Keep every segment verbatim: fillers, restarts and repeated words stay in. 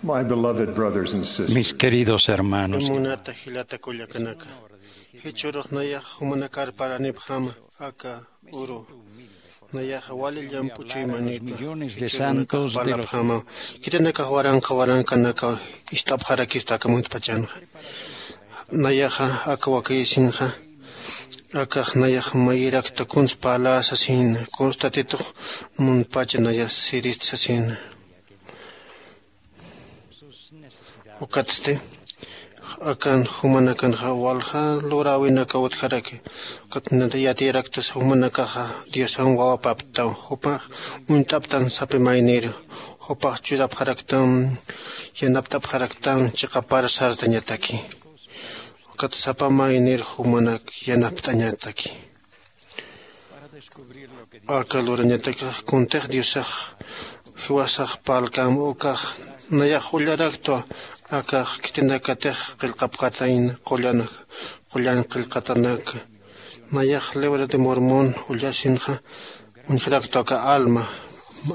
My beloved brothers and sisters, mis queridos hermanos, munata jilata kullakanaka, jichhürux nayax jumanakar paranipxama aka uru, nayaxa wali llamp'u chuymanita, millones de santos de los parlapxama, khitinakax waranqa waranqanaka ist'apxarakista aka muntpachanxa. Nayaxa aka wakayasinxa, akax nayax mayirakta kuns parla sasina, kuns Tatitux muntpacha nayax sirista sasina. Ukatsti akan jumanakanxa walja luräwinaka utjaraki. Ukat yatiyaraktas jumanakaxa Diosan wawapaptaw, jupax uñt'aptan sapa mayniru, jupax churapxaraktam, yanapt'apxaraktam chiqapar sartañataki. Ukat sapa maynir jumanak yanapt'añataki. Aka lurañatakax kuntix Diosax jiwasax parlkam ukax nayax ullaraktwa, akax khitinakatix qillqapxatayna qullan, qullan qillqatanak. Nayax Libro de Mormón ullasinxa uñjaraktwa aka alma,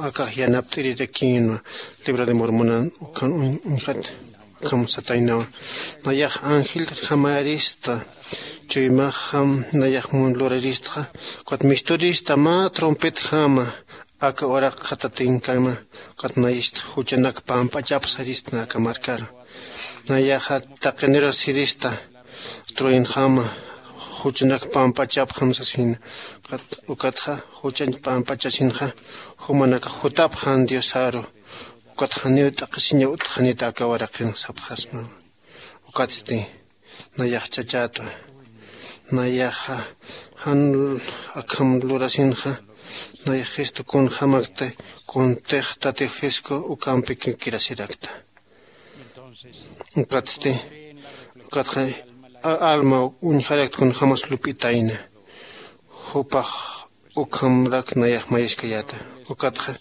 akax yanapt'irirakïnwa Libro de Mormonan ukan uñ-, uñjat. Akham sataynawa. Nayax angeljamayrista chuymaxam nayax mun luraristxa, ukat misturista mä trompetjama aka uraqxa tatinkama, ukat nayist juchanak pampachapxarista aka markaru. Nayaxa taqinirus sirista truenjama, juchanak pampachapxam sasina, ukat, ukatxa juchañ pampachasinxa jumanakax jutapxan Diosaru. Ukat janiw t'aqhisiñaw utjxanita aka uraqinxa sapxasma. Ukatsti nayax chachätwa. Nayaxa jan akham lurasinxa, nayax Jesucristo kunjämakta kuntix Tati Jesucristo ukampi kikirasirakta. Ukatsti, ukatxa a-, alma uñjarakta kunjämas lup'itayna. Jupax ukhamrak nayax mayaskayäta. Ukatxa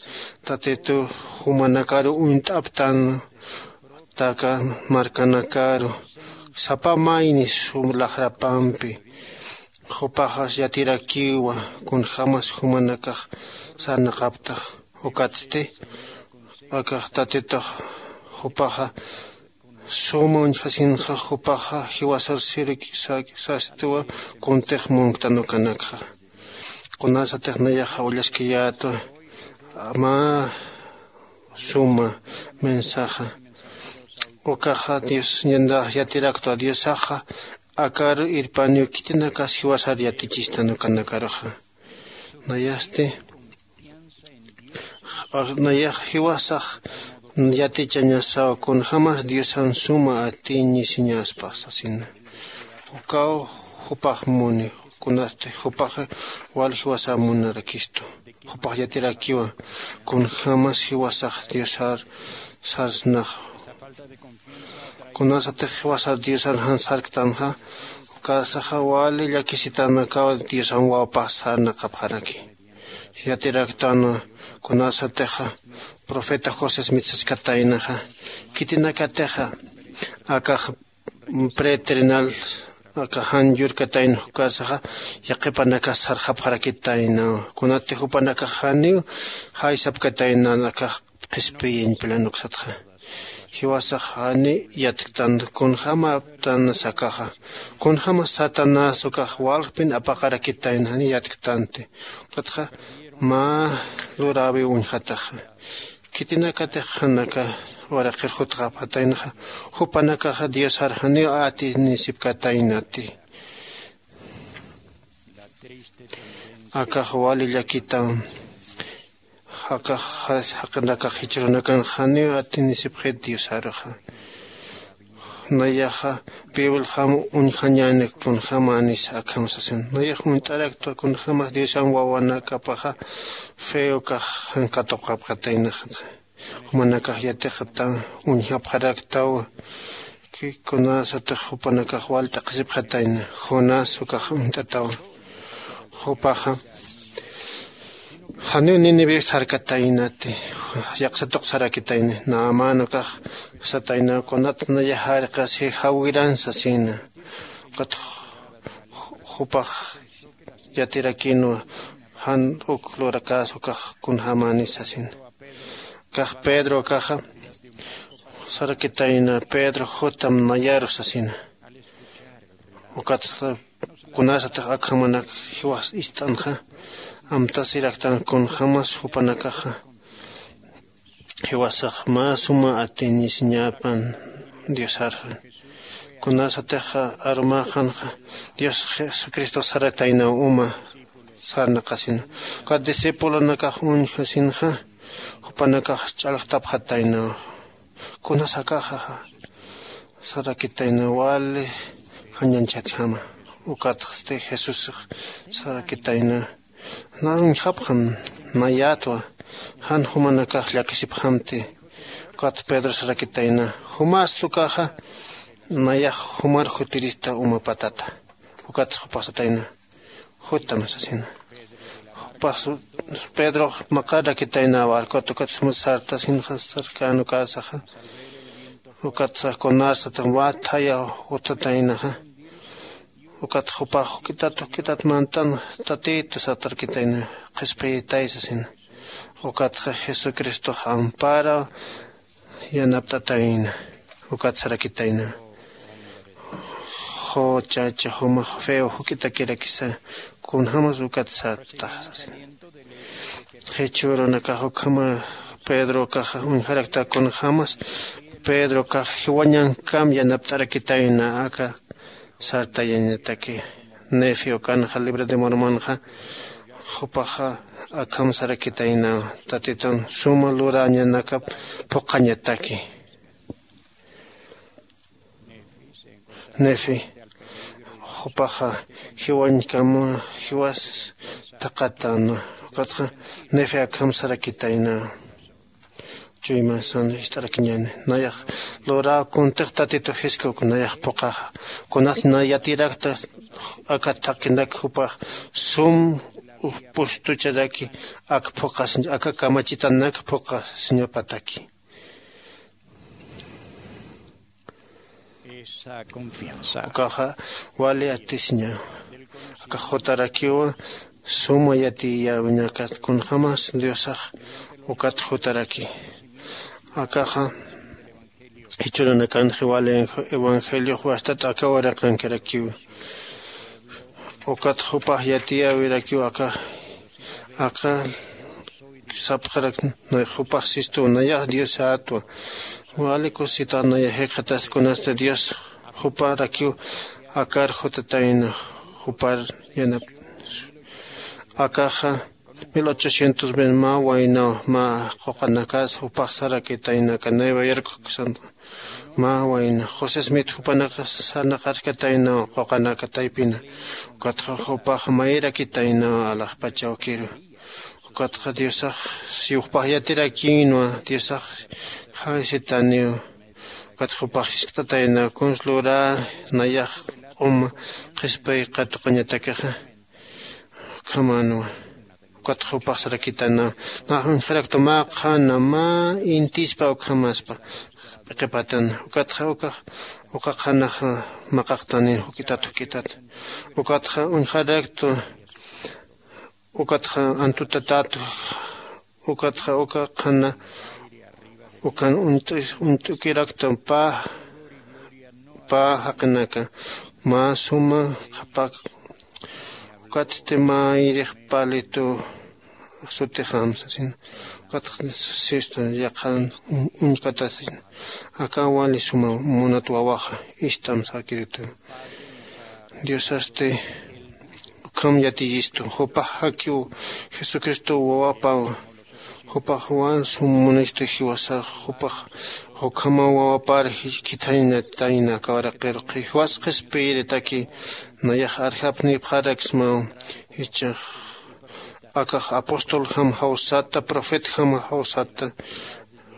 Tatitu jumanakaru uñt'aptan, aka markanakaru sapa maynis sum laxrapampi. Jupaxas yatirakiwa kunjämas jumanakax sarnaqaptax. Ukatsti akax Tatitux jupaxa suma uñjasinxa, jupaxa jiwasar sirki sa-, sastiwa kuntix munktan ukanakxa. Kunasatix nayaxa ullaskayätwa mä suma mensaje. Ukaxa Dios ñandax yatiraktwa, Diosaxa akaru irpaniw khitinakas jiwasar yatichistan ukanakaruxa. Nayasti, nayax jiwasax yatichañasaw kunjämas Diosan suma atiñisiñaspax sasina. Ukaw jupax muni, kunasti jupax wal jiwasa munarakistu. Jupax yatirakiwa kunjämas jiwasax Diosar sarsnax. Kunasatix jiwasar Diosar jan sarktanxa, ukarsaxa wali llakisitanakaw Diosan wawapax sarnaqapxaraki. Yatiraktanwa kunasatixa profeta José Smith saskataynaxa, khitinakatixa akax pretrenal, akax jan yurkatayna, ukarsaxa yaqhipanakax sarxapxarakitaynawa. Kunati jupanakax janiw jaysapkatayna akax qhispiyiñ pilanuksatxa. Jiwasax jani yatktan kunjämaptan sakaxa. Kunjämas Satanás ukax walkpin apaqarakitayna jani yatktanti. Ukatxa mä luräwi uñjataxa. Khitinakatix jan aka uraqir jutxapxataynaxa, jupanakaxa Diosar janiw atinisipkataynati. Akax wali llakitam. Akax jaqinakax jichhürunakan janiw atinisipxit Diosaruxa. Nayaxa Bibliaxam uñjañäni kunjämanis akham sasin. Nayax uñt'araktwa kunjämas Diosan wawanakapaxa fe ukax jan katuqapxataynaxa. Jumanakax yatiqaptan uñjapxaraktawa. Kunasatix jupanakax wal t'aqhisipxatayna, Jonás ukax uñt'atawa. Jupaxa janiw Nínive sarkataynati, yaqsa tuqsarakitayna, Naamán ukax satayna, kunat nayax jarqasi jawiran sasina. Ukat jupax yatirakïnwa jan uk lurakäsa ukax kunjämani sasina. Akax Pedro akaxa Sarakitayna pedro jutam nayaru sasina. Ukat kunasatix akhamanak jiwas ist'anxa amtasiraktan kunjämas jupanakaxa jiwasax mä suma atinisiñäpan diosarxa. Kunasatixa arumäxanxa dios jesucristox sarataynaw uma sarnaqasina. Ukat discipulonakax uñjasinxa jupanakax ch'alxtapxataynaw. Kunasakaxaxa sarakitayna wali jañanchatjama. Ukatxsti jesusix sarakitayna na uñjapxam nayätwa jan jumanakax llakisipxamti. Ukat pedro sarakitayna jumasta ukaxa nayax jumar jutirista umapatata. Ukat jupax satayna jutam sasina. Jupax pedrox maqarakitayna barcot ukat suma sartasinxa sarkän ukäsaxa. Ukat sax kunarsatix mä thaya jutataynaxa. Ukat jupax juk'itat juk'itat mantan tatitu satarkitayna qhispiyitay sasina. Ukatxa jesucristox ampara yanapt'atayna. Ukat sarakitayna juchacha jumax feo juk'itakirakisa kunjämas ukat sartax sasina. Jichhürunakax ukhama pedrokaxa uñjarakta kunjämas pedrokax jiwañankam yanapt'arakitayna aka sartayañataki. Nefi ukanxa libro de mormonxa jupaxa akham sarakitayna tatitun suma lurañanakap phuqhañataki. Nefi jupaxa jiwañkama jiwas thaqatana. Ukatxa nefi akham sarakitayna. Chuymasan ist'arakiñäni nayax luräw kuntix tatitu jiskuk nayax phuqhaxa. Kunat na yatirakta aka thaqinak jupax sum pustucharaki ak phuqhasiñ aka kamachitanak phuqhasiñapataki. Ukaxa wali atisiña. Akax jutarakiwa suma yatiyäwiñakat kunjämas diosax ukat jutaraki. Akaxa jichhüranakanxa wali evangeliox wastat aka waraqankirakiwa. Ukat jupax yatiyäwirakiw aka aka sapxarak nayax jupax sistuw nayax diosätwa. Wali kusisitax nayax jikxatas kunasti dios juparakiw akar jutatayna jupar yanap. Akaxa mil ochocientos ven mä waynaw mä quqanakas jupax sarakitayna aka nueva york ksantwa. Mä wayna josé smith jupanakax sarnaqarkataynaw quqanaka taypina. Ukatxa jupax mayrakitaynaw alaxpachawkiru. Ukatxa diosax si jupax yatirakïnwa diosax jawsitaniw. Ukatxa jupax jiskt'ataynaw kuns lurä nayax q'uma qhispay qatuqañatakixa. Ukhamänwa. Ukat jupax sarakitana nax uñjarakta mä qhana mä intispa ukhamaspa p'iqipatan. Ukatxa ukax uka qhanaxa maqaqtani juk'itat juk'itat. Ukatxa uñjarakta ukatxa antutatat. Ukatxa uka qhana ukan uñt'ukirakta pä pä jaqinaka mä suma qhapak. Ukatsti mayrix palitu sutixam sasina. Ukatxa sistu yaqhan uñkatasin aka wali suma munat wawaxa ist'am sakiritu. Diosasti ukham yatiyistu jupax jakiw jesucristo wawapaw. Jupax wal sum munistu jiwasax jupax jukhamaw wawapar khithaynatayna kawaraqir jiwas qhispiyiritaki. Nayax arjapnipxaraksmaw jichhax akax apostol jam jawsata profet jam jawsata.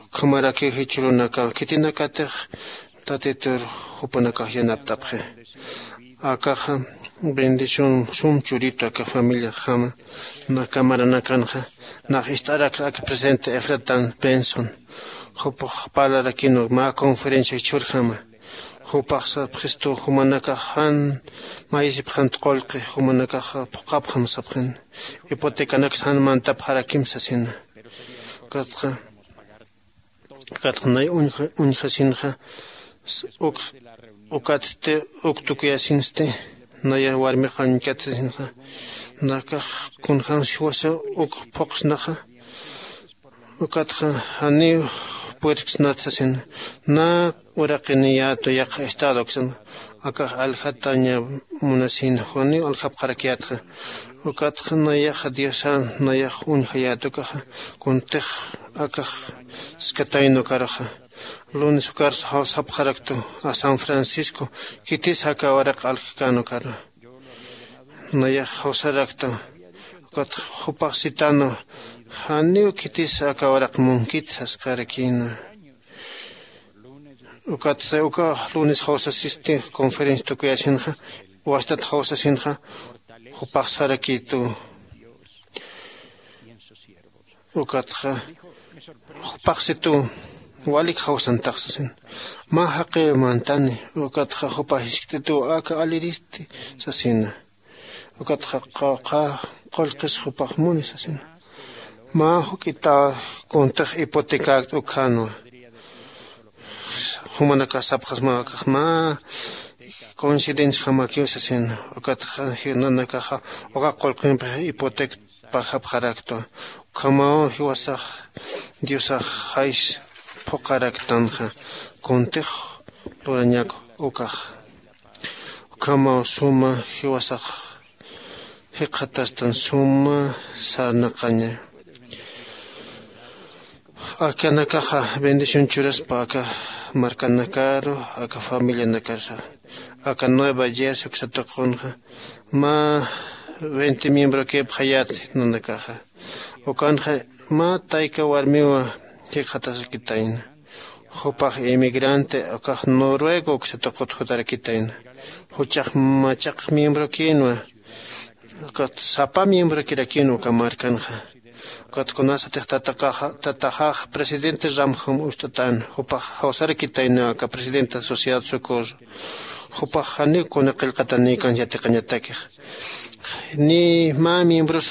Ukhamarakiw jichhürunakaw khitinakatix tatitur jupanakax yanapt'apxi. Akaxa bendición sum churitu aka familiaxama na camaranakanxa nax ist'arakxa aka presidente efratan benson. Jupax parlarakinu mä conferencia jichhürjama jupax sapxistu jumanakax jan mayisipxant qullqi jumanakax phuqhapxam sapxin. Hipotecanaksa jan mantapxarakim sasina. Ukatxa Ukatxa nay uñjasinxa uk ukatsti uk tukuyasinsti naya warmix uñkatsisinxa nakax kunjämsi jiwasa uk phuqsnaxa. Ukatxa janiw puerksnat sasin na uraqiniyätu yaqha estado uksan akax aljataña munasina janiw aljapxarakyätxa. Ukatxa nayaxa diosan nayax uñjayät ukaxa kuntix akax skatayna ukaruxa lunes ukarsa jawsapxaraktu a san francisco khitis aka waraq aljkän ukaru nayax jawsaraktu. Ukatxa jupax sitanwa janiw khitis aka waraq munkit sasqarakïna. Ukatsa uka lunes jawsasisti conferencia tukuyasinxa wastat jawsasinxa jupax sarakïtu. Ukatxa jupaxsituw walik jawsantax sasin mä jaqiw mantani. Ukatxa jupax jiskt'ituw aka alliristi sasina. Ukatxa qawqha qullqis jupax muni sasina mä juk'ita kuntix hipotecakt'u ukhänwa. Jumanakax sapxasma akax mä coincidenciajamakiw sasin. Ukatxa nanakaxa uka qullqimpi hipoteca pajapxaraktwa. Ukhamaw jiwasax diosax jays phuqharaktanxa kuntix lurañak ukax. Ukhamaw suma jiwasax jikxatastan suma sarnaqaña. Akanakaxa bendición churaspa aka markanakaru aka familianakarusa aka nueva jersey uksatuqunxa mä veinte miembrokipxayät nanakaxa. Ukanxa mä tayka warmiwa jikxatasakitayna. Jupax inmigrante ukax noruego uksatuqut jutarakitayna. Juchax machaq miembrokïnwa ukat sapa miembrokirakïnwa uka markanxa. Ukat kunasatix tataxax presidente ramjam ust'atän jupax jawsarakitayna aka presidenta sociedad socorro. Jupax janiw kuna qillqatanïkan yatiqañatakix ni mä miembros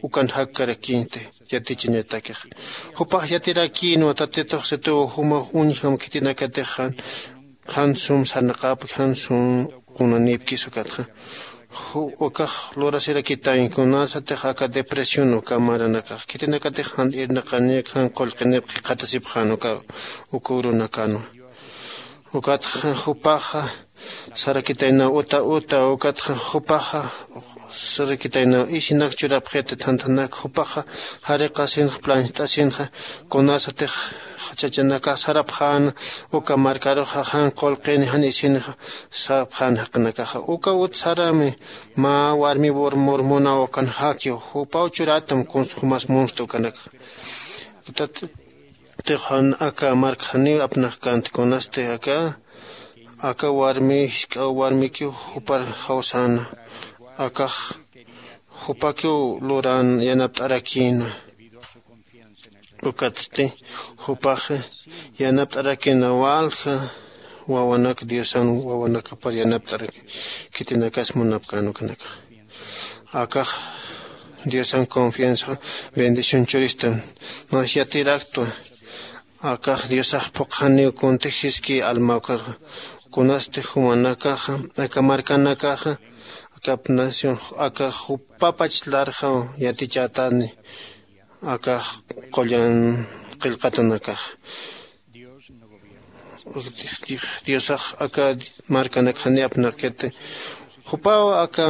ukan jakkarakïnti yatichañatakix. Jupax yatirakïnwa tatitux situw jumax uñjam khitinakatix jan sum sarnaqäpki jan sum kunanïpkis ukatxa. Ukax lurasirakitañ kunasatix aka depresión uka maranakax khitinakatix jan irnaqañak jan qullqinip jikxatasipxän uka uka urunakänwa. Ukatxa jupaxa sarakitaynaw uta uta ukatxa jupaxa sarakitaynaw isinak churapxiti thanthanak jupaxa jariqasinxa plancht'asinxa kunasatix chachanakax sarapxäna uka markaruxa jan qullqini jan isinxa sarapxäna jaqinakaxa uka ut sarami mä warmi mormonaw ukan jakiw jupaw churätam kunsa jumas munsta ukanakax. Tix jan aka mark janiw apnaqkänti kunasti aka aka warmi jisk'aw warmikiw jupar jawsäna akax jupakiw luran yanapt'arakïna. Ukatsti jupax yanapt'arakïna walja wawanak diosan wawanakapar yanapt'araki khitinakas munapkän ukanakax. Akax diosan confianza bendición churistan mas yatiraktwa. Akax diosax phuqhaniw kuntix jiski almawkarxa kunasti jumanakaxa aka markanakaxa aka nación aka jupapach larxaw yatichätani. Akax qullan qillqatanakax diosax aka markanakxani apnaqkiti jupaw aka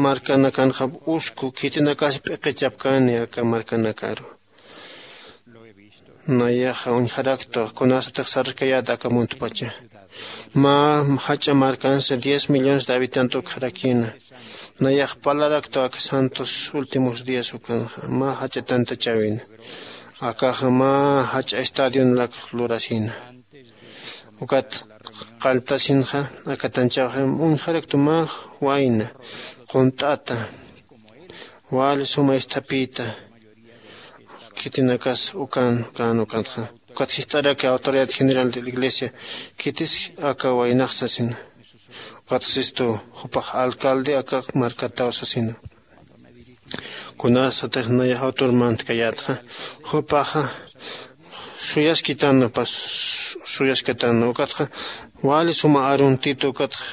markanakanxa usku khitinakas p'iqichapkani aka markanakaru. Nayaxa uñjaraktwa kunasatix sarkayät aka muntpacha mä jach'a markansa diez millones de habitantes ukxarakïna. Nayax parlaraktwa aka santos últimos días ukanxa mä jach'a tantachäwina. Akaxa mä jach'a estadionrak lurasïna. Ukat qalltasinxa aka tanchawxa uñjaraktu mä wayna qunt'ata wali suma isthapïta. Khitinakas ukan ukan ukantxa ukat jist'araki autoridad general de la iglesia khitis aka waynax sasina. Ukat sistu jupax alcalde aka markataw sasina. Kunasatix nayax autor mantkayätxa jupaxa suyaskitana pas suyaskitana ukatxa wali suma aruntitu ukatxa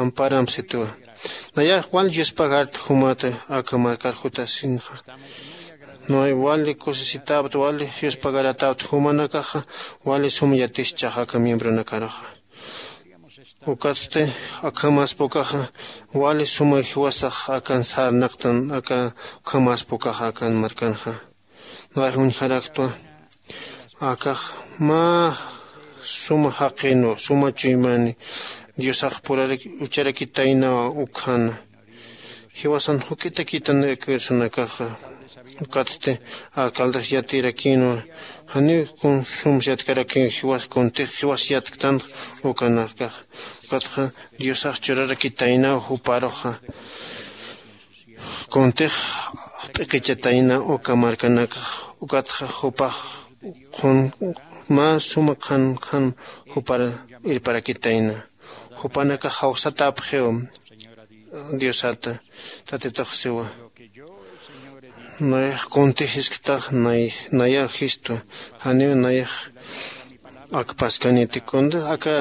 amparam situwa. Nayax wali yuspagarta jumata aka markar jutasinxa. Nuway wali kusisitapta wali yuspagaratapta jumanakaxa wali suma yatischaxa aka miembronakaruxa. Ukatsti akhamaspukaxa wali suma jiwasax akan sarnaqtan aka ukhamaspukaxa akan markanxa. Nuway juñjaraktwa akax mä suma jaqinwa suma chuymani diosax purarak ucharakitaynawa ukhana. Jiwasan juk'itakitan aka ursunakaxa ukatsti alcaldes yatirakinwa janiw kun sums yatkarakinwa jiwas kuntix jiwas yatktanx ukanakax. Ukatxa diosax churarakitaynaw juparuxa kuntix p'iqichatayna uka markanakax. Ukatxa jupax qhun mä suma qhan qhan jupar irparakitayna. Jupanakax jawsatapxiw diosata tatitux siwa. Nayax kuntix jisktax nay nayaw jistwa janiw nayax akpaskaniti kunti aka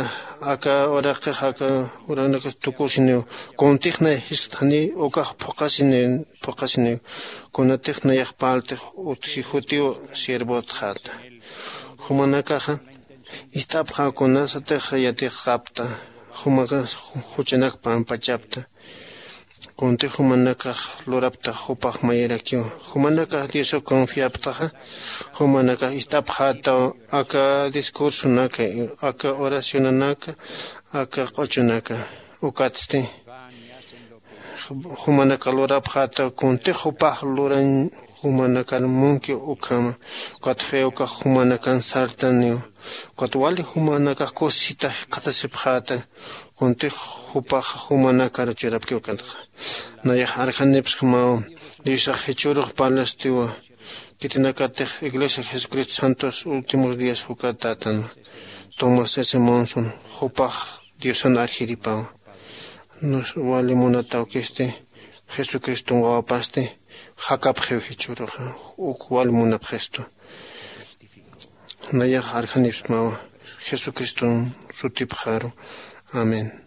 aka uraqix aka uranakax tukusiniw kuntix nay jiskta janiw ukax phuqasiniw phuqasiniw kunatix nayax parltix utji jutiw siervotxata. Jumanakaxa ist'apxaw kunasatix yatiqapta jumaxa juchanak pampachapta. Kunti jumanakax luraptax jupax mayirakiw jumanakax diosaw confiaptaxa jumanakax ist'apxätaw aka discursonaka aka oracionanaka aka q'uchunaka. Ukatsti jumanaka lurapxätaw kuntix jupax lurañ jumanakar munkiw ukhama. Ukat fe ukax jumanakan sartaniw ukat wali jumanakax kusisita jikxatasipxäta. Kuntix jupax jumanakar churapkiw ukatxa nayax arjanipsjamaw. Diosax jichhürux parlastiwa khitinakatix iglesia jesucristo santos últimos días jukatätan tomás s monson jupax diosan arjiripawa. Wali munatawkisti jesucriston wawapasti jakapxiw jichhüruxa uk wali munapxistu. Nayax arjanipsmawa jesucriston sutipxaru. Amén.